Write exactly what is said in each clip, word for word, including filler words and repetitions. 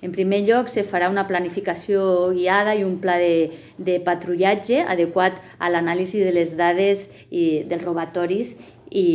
En primer lloc, se farà una planificació guiada i un pla de, de patrullatge adequat a l'anàlisi de les dades i dels robatoris i,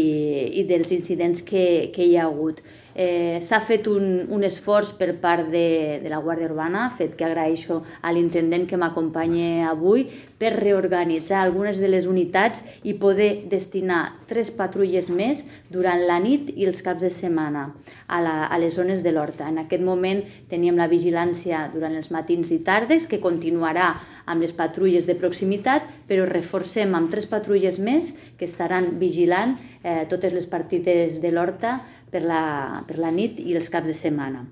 i dels incidents que, que hi ha hagut. Eh, S'ha fet un, un esforç per part de, de la Guàrdia Urbana, fet que agraeixo a l'intendent que m'acompanya avui, per reorganitzar algunes de les unitats i poder destinar tres patrulles més durant la nit i els caps de setmana a, la, a les zones de l'Horta. En aquest moment teníem la vigilància durant els matins i tardes, que continuarà amb les patrulles de proximitat, però reforcem amb tres patrulles més que estaran vigilant eh, totes les partides de l'Horta per la, per la nit i els caps de setmana.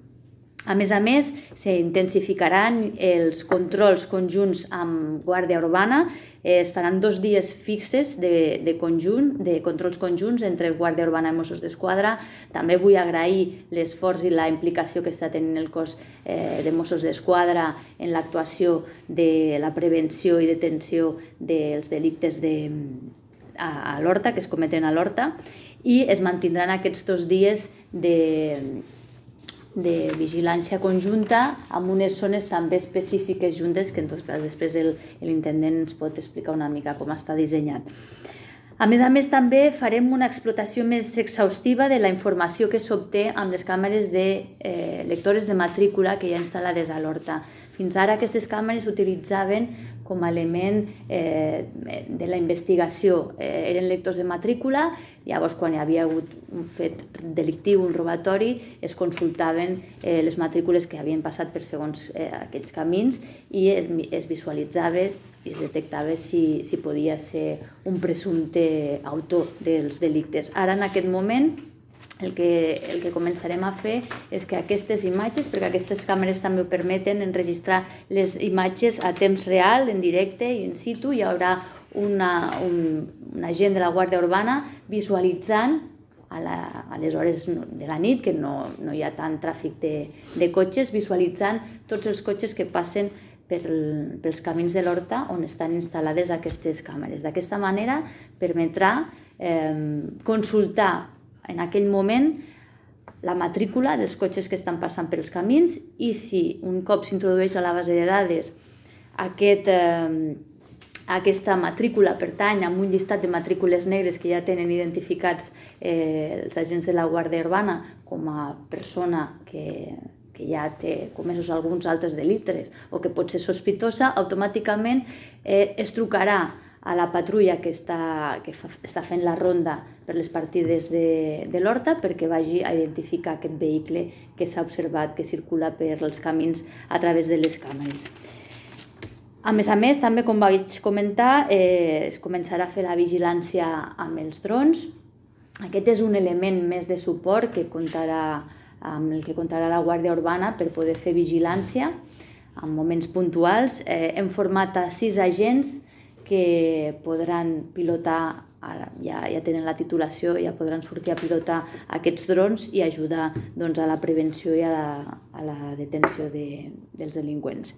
A més a més, s'intensificaran els controls conjunts amb Guàrdia Urbana, es faran dos dies fixes de, de conjunt, de controls conjunts entre Guàrdia Urbana i Mossos d'Esquadra. També vull agrair l'esforç i la implicació que està tenint el cos eh, de Mossos d'Esquadra en l'actuació de la prevenció i detenció dels delictes de, a, a l'Horta, que es cometen a l'Horta, i es mantindran aquests dos dies de, de vigilància conjunta amb unes zones també específiques juntes que en tot cas després l'intendent ens pot explicar una mica com està dissenyat. A més a més també farem una explotació més exhaustiva de la informació que s'obté amb les càmeres de eh, lectores de matrícula que hi ha instal·lades a l'Horta. Fins ara aquestes càmeres s'utilitzaven com a element eh, de la investigació. Eh, eren lectors de matrícula, llavors quan hi havia hagut un fet delictiu, un robatori, es consultaven eh, les matrícules que havien passat per segons eh, aquells camins i es, es visualitzava i es detectava si, si podia ser un presumpte autor dels delictes. Ara, en aquest moment, El que, el que començarem a fer és que aquestes imatges, perquè aquestes càmeres també ho permeten, enregistrar les imatges a temps real, en directe i in situ. Hi haurà una, un, un agent de la Guàrdia Urbana visualitzant a, la, a les hores de la nit, que no, no hi ha tant tràfic de, de cotxes, visualitzant tots els cotxes que passen per, pels camins de l'Horta on estan instal·lades aquestes càmeres. D'aquesta manera permetrà eh, consultar en aquell moment la matrícula dels cotxes que estan passant pels camins i si un cop s'introdueix a la base de dades aquest, eh, aquesta matrícula pertany a un llistat de matrícules negres que ja tenen identificats eh, els agents de la Guàrdia Urbana com a persona que, que ja té comesos alguns altres delictes o que pot ser sospitosa, automàticament eh, es trucarà a la patrulla que està, que fa, està fent la ronda per les partides de, de l'Horta perquè vagi a identificar aquest vehicle que s'ha observat que circula per els camins a través de les càmeres. A més a més, també com vaig comentar, eh, es començarà a fer la vigilància amb els drons. Aquest és un element més de suport que comptarà, amb el que comptarà la Guàrdia Urbana per poder fer vigilància en moments puntuals. Eh, hem format a sis agents que podran pilotar, ja, ja tenen la titulació, ja podran sortir a pilotar aquests drons i ajudar doncs, a la prevenció i a la, a la detenció de, dels delinqüents.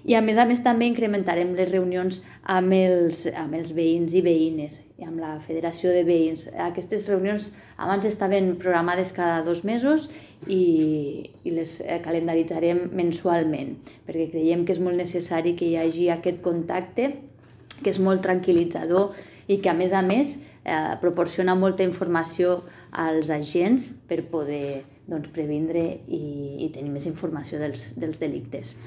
I a més a més també incrementarem les reunions amb els, amb els veïns i veïnes i amb la Federació de Veïns. Aquestes reunions abans estaven programades cada dos mesos i, i les calendaritzarem mensualment perquè creiem que és molt necessari que hi hagi aquest contacte que és molt tranquil·litzador i que a més a més eh, proporciona molta informació als agents per poder doncs, previndre i, i tenir més informació dels, dels delictes.